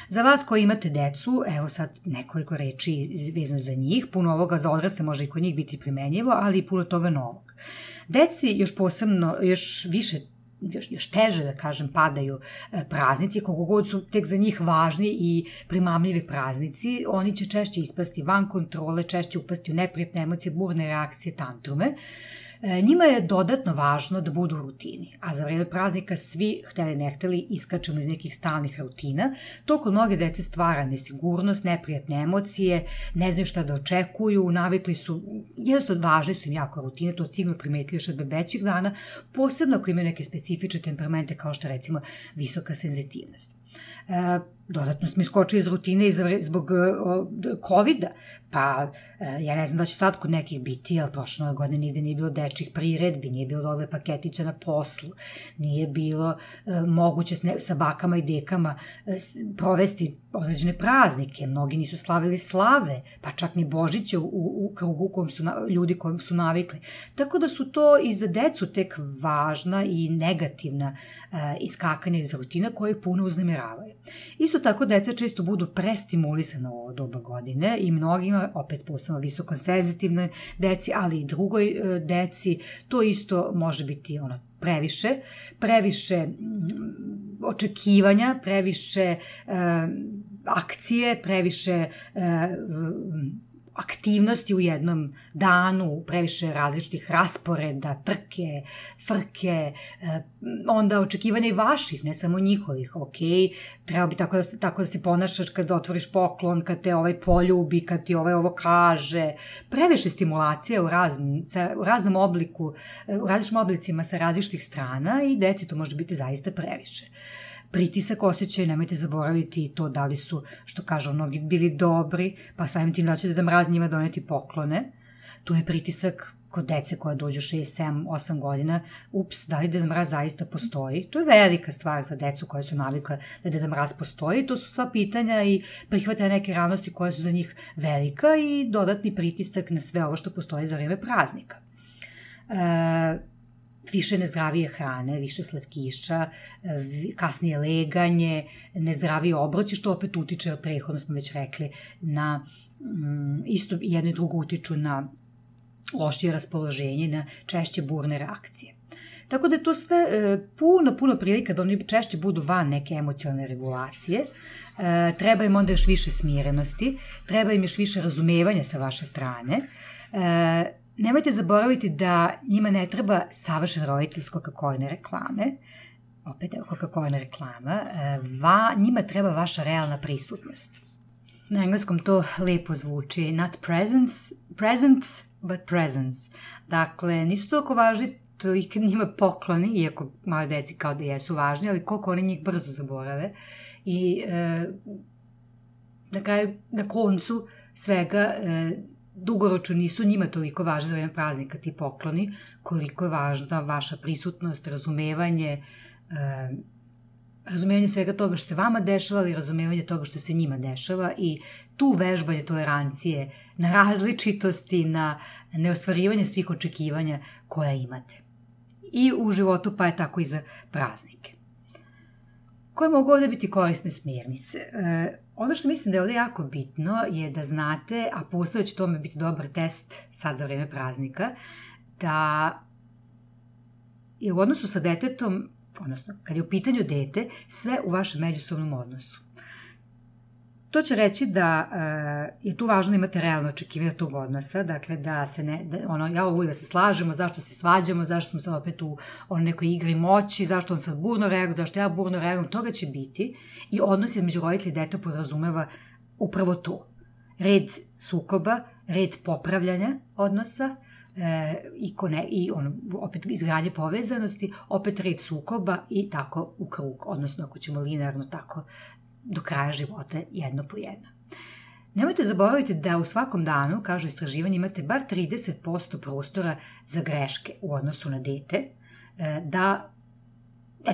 Za vas koji imate decu, evo sad nekoliko reči vezano za njih, puno ovoga za odraste može i kod njih biti primenjivo, ali i puno toga novog. Deci još posebno, još više još teže, da kažem, padaju praznici, koliko god su tek za njih važni i primamljivi praznici, oni će češće ispasti van kontrole, češće upasti u neprijatne emocije, burne reakcije, tantrume. Njima je dodatno važno da budu u rutini, a za vreme praznika svi, hteli ne hteli, iskačemo iz nekih stalnih rutina. To kod mnoge dece stvara nesigurnost, neprijatne emocije, ne znaju šta da očekuju, navikli su, jednostavno važni su im jako rutine, to sigurno primetili još od bebećih dana, posebno ako imaju neke specifične temperamente kao što recimo visoka senzitivnost. Dodatno smo iskočili iz rutine zbog COVID-a, pa ja ne znam da će sad kod nekih biti, ali prošle godine nigde nije bilo dečjih priredbi, nije bilo dole paketića na poslu, nije bilo moguće sa bakama i dekama provesti određene praznike, mnogi nisu slavili slave, pa čak ni Božiće u krugu ljudi kojim su navikli. Tako da su to i za decu tek važna i negativna iskakanja iz rutina koje ih puno uznemiravaju. Isto tako deca često budu prestimulisana u ovo doba godine i mnogima, opet posebno visoko senzitivnoj deci, ali i drugoj deci, to isto može biti previše očekivanja, previše akcije, previše aktivnosti u jednom danu, previše različitih rasporeda, trke, frke, onda očekivanja i vaših, ne samo njihovih, ok, treba bi tako da se ponašaš kad otvoriš poklon, kad te ovaj poljubi, kad ti ovaj ovo kaže, previše stimulacija u raznom obliku, u različitim oblicima sa različitih strana i deci to može biti zaista previše. Pritisak osjećaju, nemojte zaboraviti to da li su, što kažu mnogi, bili dobri, pa samim tim da će Deda Mraz njima doneti poklone. Tu je pritisak kod dece koja dođu 6, 7, 8 godina, da li Deda Mraz zaista postoji? To je velika stvar za decu koje su navikle da Deda Mraz postoji. To su sva pitanja i prihvatanja neke realnosti koje su za njih velika i dodatni pritisak na sve ovo što postoji za vreme praznika. Više nezdravije hrane, više slatkiša, kasnije leganje, nezdravije obroci, što opet utiče, prethodno smo već rekli, na isto jedno i drugo utiču na lošije raspoloženje, na češće burne reakcije. Tako da je to sve puno prilika da oni češće budu van neke emocionalne regulacije, treba im onda još više smirenosti, treba im još više razumevanja sa vaše strane. Nemojte zaboraviti da njima ne treba savršen roditelj s Coca-Coline reklame, opet evo Coca-Coline reklama, njima treba vaša realna prisutnost. Na engleskom to lepo zvuči, not presence, but presence. Dakle, nisu toliko važni toliko njima pokloni, iako male deci kao da jesu važni, ali koliko oni njih brzo zaborave. I na koncu svega dugoročno nisu njima toliko važni za vreme praznika ti pokloni, koliko je važna vaša prisutnost, razumevanje razumevanje svega toga što se vama dešava, ali razumevanje toga što se njima dešava i tu vežbanje tolerancije na različitosti, na neostvarivanje svih očekivanja koja imate. I u životu, pa je tako i za praznike. Koje mogu ovde biti korisne smjernice? Ono što mislim da je ovde jako bitno je da znate, a posao će tome biti dobar test sad za vreme praznika, da je u odnosu sa detetom, odnosno kad je u pitanju dete, sve u vašem međusobnom odnosu. To će reći da je tu važno da imate realno očekivanje tog odnosa, dakle da se ne, ja ovo da se slažemo, zašto se svađamo, zašto smo sad opet u nekoj igri moći, zašto on sad burno reaguje, zašto ja burno reagujem, toga će biti i odnos između roditelja i dete podrazumeva upravo to. Red sukoba, red popravljanja odnosa, opet izgradnje povezanosti, opet red sukoba i tako u krug, odnosno ako ćemo linearno tako do kraja života jedno po jedno. Nemojte zaboraviti da u svakom danu, kažu istraživanje, imate bar 30% prostora za greške u odnosu na dete, da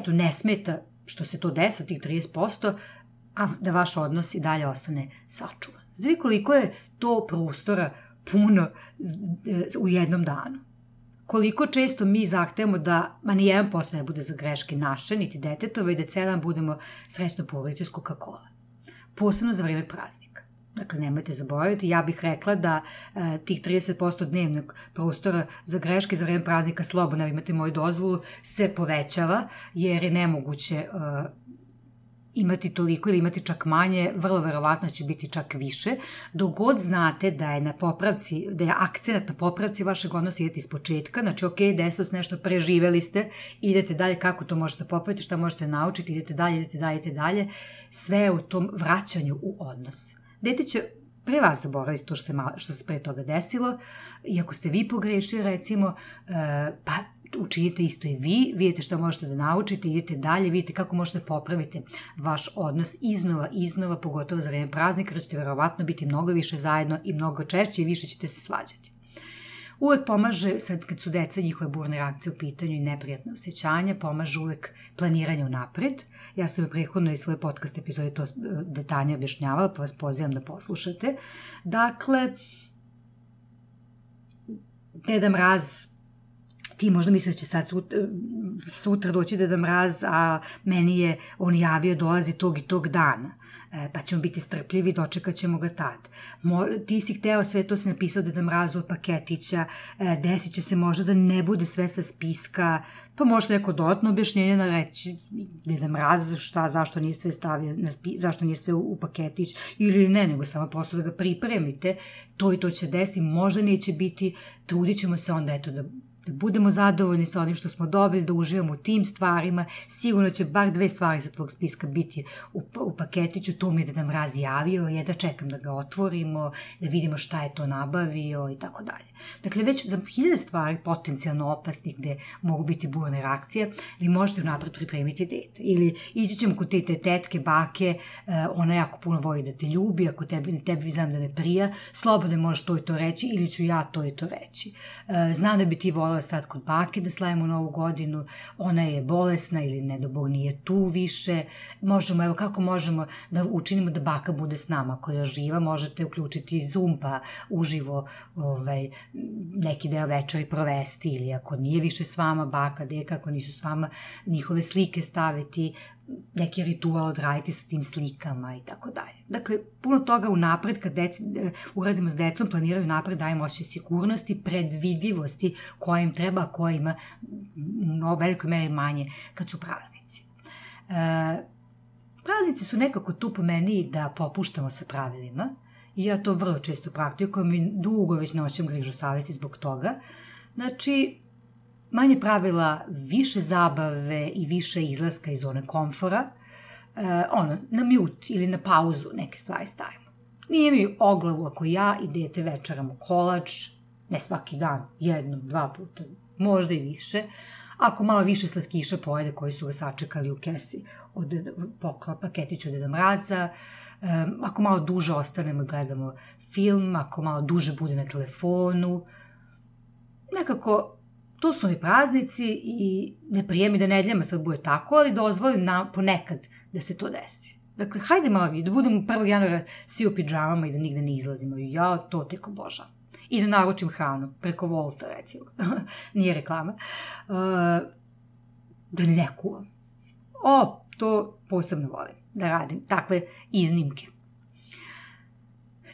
ne smeta što se to desi od tih 30%, a da vaš odnos i dalje ostane sačuvan. Znači koliko je to prostora puno u jednom danu. Koliko često mi zahtevamo da ni 1% ne bude za greške naše, niti detetove, i da cijel dan budemo srećno porodice s Coca-Cola. Posebno za vreme praznika. Dakle, nemojte zaboraviti, ja bih rekla da tih 30% dnevnog prostora za greške za vreme praznika, slobodno, imate moju dozvolu, se povećava, jer je nemoguće imati toliko ili imati čak manje, vrlo verovatno će biti čak više, dok god znate da je akcenat na popravci vašeg odnosa, idete iz početka, znači ok, desilo se nešto, preživeli ste, idete dalje, kako to možete popraviti, šta možete naučiti, idete dalje, sve je u tom vraćanju u odnos. Dete će pre vas zaboraviti to što se pre toga desilo, i ako ste vi pogrešili, recimo, pa učinite isto i vi, vidite šta možete da naučite, idete dalje, vidite kako možete popraviti vaš odnos iznova, pogotovo za vreme praznika, jer ćete verovatno biti mnogo više zajedno i mnogo češće i više ćete se svađati. Uvek pomaže, sad kad su deca, njihove burne reakcije u pitanju i neprijatne osjećanja, pomaže uvek planiranje unapred. Ja sam u prethodnoj i svoje podcast epizode to detaljnije objašnjavala, pa vas pozivam da poslušate. Dakle, Deda Mraz, ti možda misliš da će sad sutra doći Deda Mraz, a meni je on javio dolazi tog i tog dana, pa ćemo biti strpljivi, dočekat ćemo ga tad. Ti si hteo, sve to si napisao Deda Mrazu od paketića, desit će se možda da ne bude sve sa spiska, pa možda neko dodatno objašnjenje reći Deda Mraz, zašto nije sve stavio zašto nije sve u paketić, ili ne, nego samo prosto da ga pripremite, to i to će desiti, možda neće biti, trudit ćemo se onda da budemo zadovoljni sa onim što smo dobili, da uživamo u tim stvarima, sigurno će bar 2 stvari sa tvojeg spiska biti u paketiću, to mi je Deda Mraz javio, da čekam da ga otvorimo, da vidimo šta je to nabavio i tako dalje. Dakle, već za 1000 stvari potencijalno opasnih gde mogu biti burne reakcije, vi možete unapred pripremiti dete. Ili ići ćemo kod te tetke, bake, ona jako puno voli da te ljubi, ako tebi znam da ne prija, slobodno možeš to i to reći, ili ću ja to i to reći. Znam da bi ti volila sad kod bake da slavimo Novu godinu, ona je bolesna ili ne do Bog nije tu više, kako možemo da učinimo da baka bude s nama, ako je živa, možete uključiti Zoom pa uživo neki deo večeri provesti, ili ako nije više s vama baka, deka, ako nisu s vama, njihove slike staviti, neki ritual odraditi sa tim slikama i tako dalje. Dakle, puno toga unapred, kad uradimo s decom, planiraju napred, dajemo osjećaj sigurnosti, predvidivosti koja im treba, a koja ima u velikoj meri manje kad su praznici. Praznici su nekako tu po meni da popuštamo sa pravilima, i ja to vrlo često praktikujem i dugo već noćem grižu savesti zbog toga. Znači, manje pravila, više zabave i više izlaska iz zone komfora, na mute ili na pauzu neke stvari stavimo. Nije mi o glavu ako ja i dete večeramo kolač, ne svaki dan, 1, 2 puta, možda i više, ako malo više slatkiša pojede koji su ga sačekali u kesi od paketića od Deda Mraza, ako malo duže ostanemo i gledamo film, ako malo duže bude na telefonu, nekako to su mi praznici i ne prijemi da nedeljama sad bude tako, ali dozvolim ponekad da se to desi. Dakle, hajde malo da budemo 1. januara svi u pidžamama i da nigde ne izlazimo. Ja to tek obožavam. I da naručim hranu, preko Volta recimo, nije reklama, da ne kuvam. To posebno volim, da radim takve iznimke.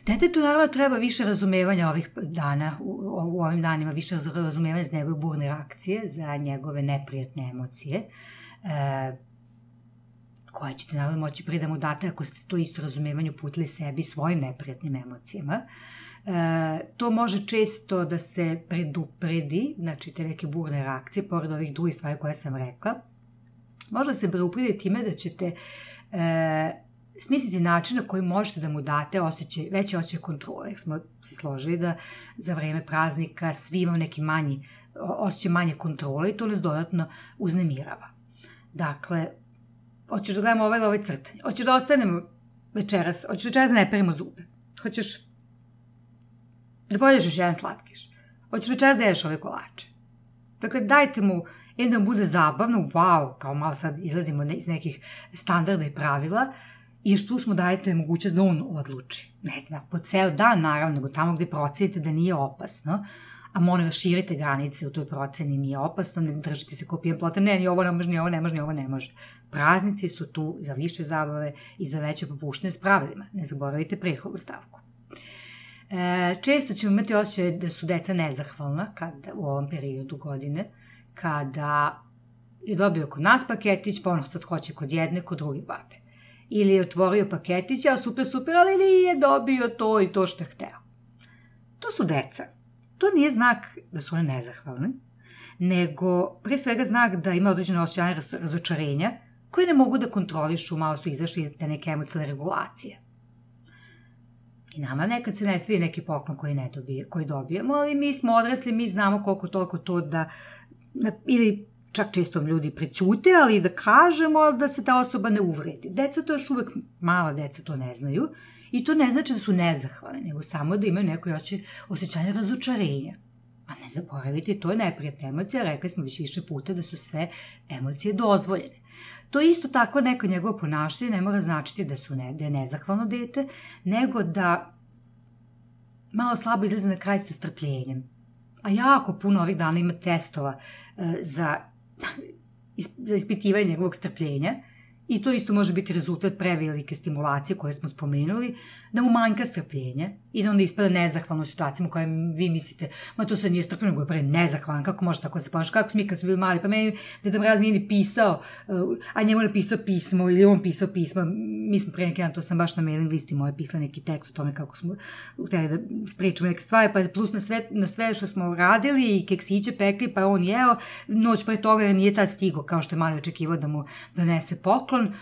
Detetu naravno treba više razumevanja ovih dana, u ovim danima, više razumevanja za njegove burne reakcije, za njegove neprijatne emocije, koje ćete naravno moći prije da mu date ako ste to isto razumevanje uputili sebi svojim neprijatnim emocijama. To može često da se predupredi, znači te neke burne reakcije, pored ovih drugih stvari koje sam rekla. Može se predupredi time da ćete smisliti način na koji možete da mu date veće osjećaj kontrole. Jer smo se složili da za vreme praznika svi imamo neki osjećaj manje kontrole i to nas dodatno uznemirava. Dakle, hoćeš da gledamo ovaj crtanje, hoćeš da ostanemo večeras, hoćeš večeras da ne perimo zube, hoćeš da pojedeš još jedan slatkiš, hoćeš večeras da jedeš ove kolače. Dakle, dajte mu, da mu bude zabavno, wow, kao malo sad izlazimo iz nekih standarda i pravila, i još tu smo dajete mogućnost da on odluči. Ne znam, po ceo dan naravno, nego tamo gde procenite da nije opasno, a molim vas širite granice u toj proceni, nije opasno, ne držite se kao pijan plota, ni ovo ne može, ni ovo ne može, ni ovo ne može. Praznici su tu za više zabave i za veće popuštene s pravilima. Ne zaboravite prethodnu stavku. Često ćemo imati osjećaj da su deca nezahvalna u ovom periodu godine, kada je dobio kod nas paketić, pa ono sad hoće kod jedne, kod druge babe. Ili je otvorio paketić, a super, ali nije dobio to i to što je hteo. To su deca. To nije znak da su one nezahvalne, nego pre svega znak da ima određene osjećanje razočarenja koje ne mogu da kontrolišu, malo su izašli iz te neke emocionalne regulacije. I nama nekad se ne stvije neki poklon koji dobijemo, ali mi smo odrasli, mi znamo koliko toliko to da, ili čak često ljudi prećute, ali da kažemo da se ta osoba ne uvredi. Deca to još uvek, mala deca to ne znaju i to ne znači da su nezahvalne, nego samo da imaju neko osjećanje razočarenja. A ne zaboravite, to je neprijatna emocija, rekli smo već više puta da su sve emocije dozvoljene. To isto tako neko njegovo ponašanje ne mora značiti da je nezahvalno dete, nego da malo slabo izlazi na kraj sa strpljenjem. A jako puno ovih dana ima testova za ispitivanje njegovog strpljenja i to isto može biti rezultat prevelike stimulacije koje smo spomenuli, da mu manjka strpljenja i da onda ispada nezahvalno u situacijama u kojoj vi mislite, ma to sad nije strpljenje, nego je pre nezahvalan, kako može tako se ponaša, kako mi kad smo bili mali, pa meni Deda Mraz nije ni pisao, a njemu napisao pismo ili on pisao pismo, mi smo pre neki dan, to sam baš na mailing listi moje pisala neki tekst o tome kako smo hteli da spričamo neke stvari, pa plus na sve što smo radili i keksiće pekli, pa on jeo, noć pre toga nije tad stigo, kao što je mali očekivao da mu donese poklon.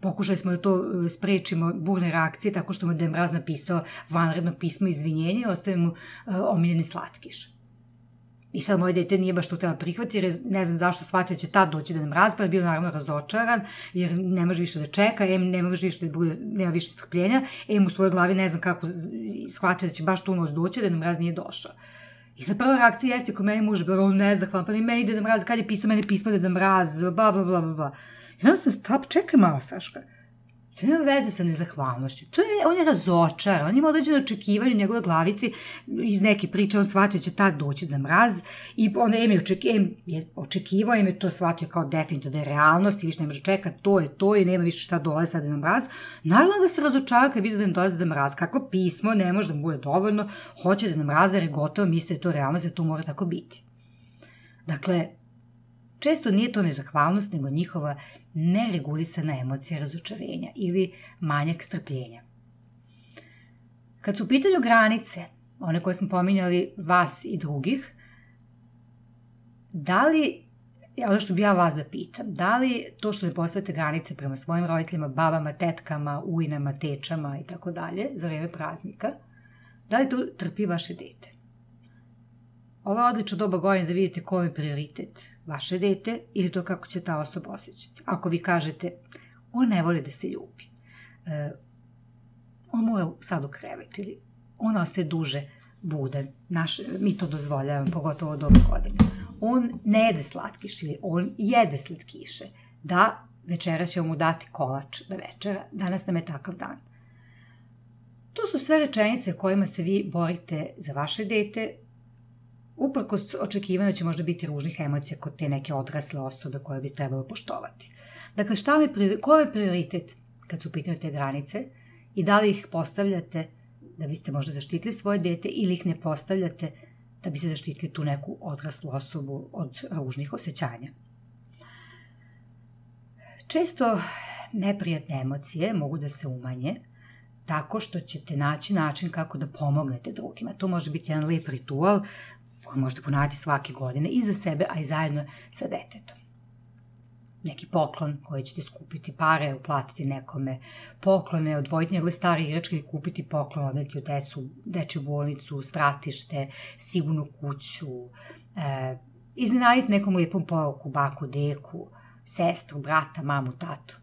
Pokušali smo da to sprečimo burne reakcije tako što mu Deda Mraz napisao vanredno pismo izvinjenja i ostaje mu omiljeni slatkiš. I sad moje dete nije baš to htjela prihvatiti jer ne znam zašto shvatio da će tad doći Deda Mraz, pa je bio naravno razočaran jer ne može više da čeka, nema više strpljenja, u svojoj glavi ne znam kako shvatio da će baš tu noć doći, Deda Mraz nije došao. I sad prva reakcija jeste kod meni muž, on nezahvalan, pa meni Deda Mraz, kad je pisao meni pismo Deda Mraz, bla bla bla bla. I onda sam stala, čekaj malo, Saška. To nema veze sa nezahvalnošću. On je razočaran, on ima određeno očekivanje u njegove glavici, iz neke priče on shvatio će tad doći Deda Mraz i onda je očekivao, je to shvatio kao definitivno da je realnost i više ne može čekati, to je to i nema više šta dolazi sa Deda Mraz. Naravno da se razočara kad vidi da ne dolazi Deda Mraz, kako pismo ne može da mu bude dovoljno, hoće Deda Mraz jer je gotovo, misli da je to realnost, da to mora tako biti. Dakle, često nije to nezahvalnost, nego njihova neregulisana emocija razočarenja ili manjak strpljenja. Kad su u pitanju granice, one koje smo pominjali vas i drugih, da li, ono što bi ja vas da pitam, da li to što ne postavite granice prema svojim roditeljima, babama, tetkama, ujnama, tečama i tako dalje za vreme praznika, da li to trpi vaše dete? Ovo je odlično doba godine da vidite ko je prioritet, vaše dete ili to kako će ta osoba osjećati. Ako vi kažete, on ne voli da se ljubi, on mora sad u krevet ili on ostaje duže budan, mi to dozvoljavamo, pogotovo doba godine. on ne jede slatkiš ili on jede slatkiše. Da, večeras ćemo mu dati kolač da večera, danas nam je takav dan. To su sve rečenice kojima se vi borite za vaše dete, uprkos očekivanju će možda biti ružnih emocija kod te neke odrasle osobe koje bi trebalo poštovati. Dakle, koji je prioritet kad su u pitanju te granice i da li ih postavljate da biste možda zaštitili svoje dete ili ih ne postavljate da bi se zaštitili tu neku odraslu osobu od ružnih osjećanja. Često neprijatne emocije mogu da se umanje tako što ćete naći način kako da pomognete drugima. To može biti jedan lep ritual koji možete ponavljati svake godine i za sebe, a i zajedno sa detetom. Neki poklon koji ćete skupiti pare, uplatiti nekome poklone, odvojiti njegove stare igračke i kupiti poklon, odneti u dečju bolnicu, svratište, sigurnu kuću, iznenaditi nekom lijepom poruku, baku, deku, sestru, brata, mamu, tatu.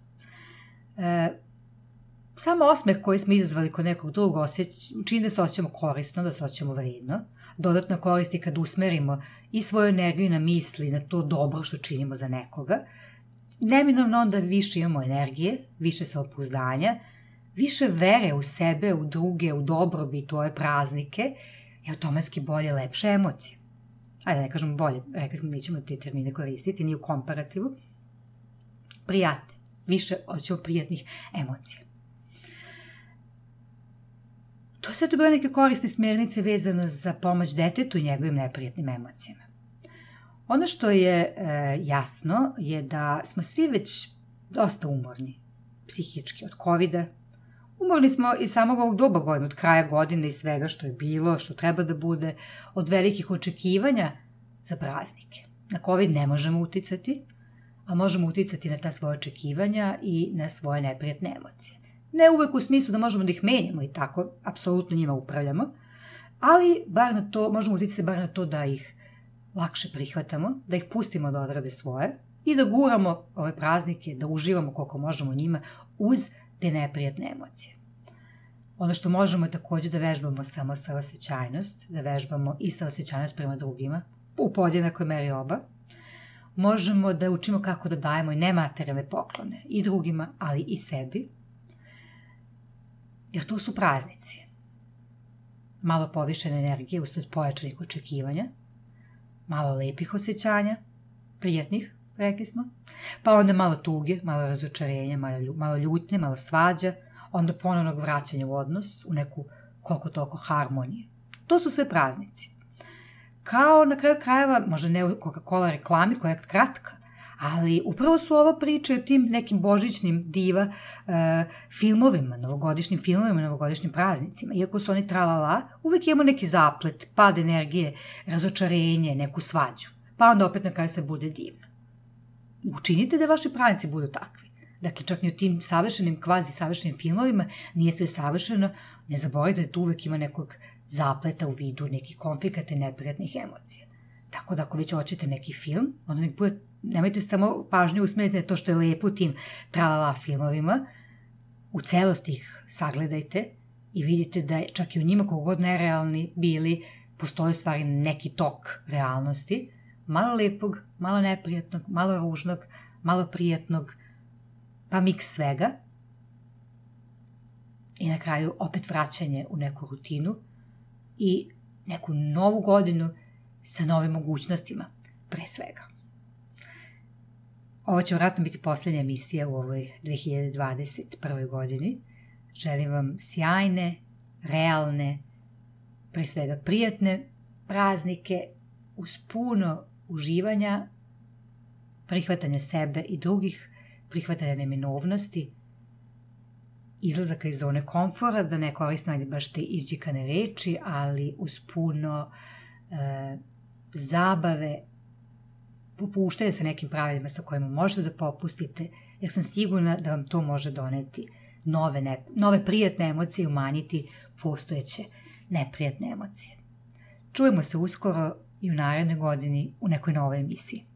Samo osmeh koji smo izazvali kod nekog drugog čini da se osjećamo korisno, da se osjećamo vredno. Dodatno koristi kad usmerimo i svoju energiju na misli, na to dobro što činimo za nekoga. Neminovno onda više imamo energije, više samopouzdanja, više vere u sebe, u druge, u dobrobit, u ove praznike i automatski bolje, lepše emocije. Ajde, ne kažemo bolje, rekli smo nećemo te termine koristiti, ni u komparativu. Prijate, više osjećamo prijatnih emocija. To sve tu bile neke korisne smjernice vezano za pomoć detetu i njegovim neprijatnim emocijama. Ono što je jasno je da smo svi već dosta umorni, psihički, od covida. Umorni smo i samog ovog doba godine, od kraja godine i svega što je bilo, što treba da bude, od velikih očekivanja za praznike. Na covid ne možemo uticati, a možemo uticati na ta svoje očekivanja i na svoje neprijatne emocije. Ne uvek u smislu da možemo da ih menjamo i tako, apsolutno njima upravljamo, ali možemo uticati bar na to da ih lakše prihvatamo, da ih pustimo da odrade svoje i da guramo ove praznike, da uživamo koliko možemo njima uz te neprijatne emocije. Ono što možemo je također da vežbamo samo saosećajnost, da vežbamo i saosećajnost prema drugima, u podjednakoj meri oba. Možemo da učimo kako da dajemo i nematerijalne poklone i drugima, ali i sebi, jer to su praznici. Malo povišene energije usled pojačanih očekivanja, malo lepih osjećanja, prijatnih, rekli smo, pa onda malo tuge, malo razočarenja, malo ljutnje, malo svađa, onda ponovnog vraćanja u odnos, u neku koliko toliko harmonije. To su sve praznici. Kao na kraju krajeva, možda ne u Coca-Cola reklami koja je kratka, ali upravo su ovo priče o tim nekim božićnim diva filmovima, novogodišnjim filmovima, novogodišnjim praznicima. Iako su oni tralala, uvijek imamo neki zaplet, pad energije, razočarenje, neku svađu. Pa onda opet na kraju se bude divno. Učinite da vaši praznici budu takvi. Dakle, čak i u tim savršenim, kvazi savršenim filmovima nije sve savršeno. Ne zaboravite da tu uvijek ima nekog zapleta u vidu nekih konflikata i neprijatnih emocija. Tako da ako već hoćete neki film, onda nemojte samo pažnju usmjeriti na to što je lepo u tim tralala filmovima, u celosti ih sagledajte i vidite da čak i u njima koliko god nerealni bili, postoji u stvari neki tok realnosti, malo lepog, malo neprijatnog, malo ružnog, malo prijatnog, pa miks svega i na kraju opet vraćanje u neku rutinu i neku novu godinu sa novim mogućnostima, pre svega. Ovo će vjerojatno biti posljednja emisija u ovoj 2021. godini. Želim vam sjajne, realne, pre svega prijatne praznike uz puno uživanja, prihvatanja sebe i drugih, prihvatanja neminovnosti, izlazaka iz zone komfora, da ne koristim baš te izđikane reči, ali uz puno zabave, popuštajte sa nekim pravilima sa kojima možete da popustite, jer sam sigurna da vam to može doneti nove prijatne emocije i umanjiti postojeće neprijatne emocije. Čujemo se uskoro i u narednoj godini u nekoj novoj emisiji.